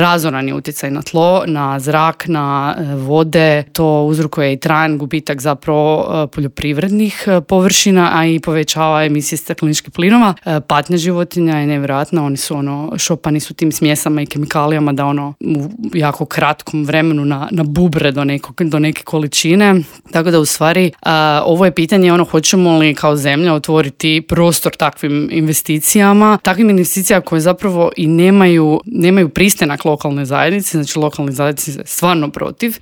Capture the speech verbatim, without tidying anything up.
razoran je utjecaj na tlo, na zrak, na vode. To uzrokuje i trajan gubitak zapravo poljoprivrednih površina, a i povećava emisije stakleničkih plinova. Patnja životinja je nevjerojatna, oni su ono, šopani su tim smjesama i kemikalijama da ono u jako kratkom vremenu na, na bubre do, nekog, do neke količine. Tako da u stvari a, ovo je pitanje ono, hoćemo li kao zemlja otvoriti prostor takvim investicijama, takvim investicijama koje zapravo i nemaju, nemaju pristanak lokalne zajednice, znači lokalne zajednice stvarno protiv.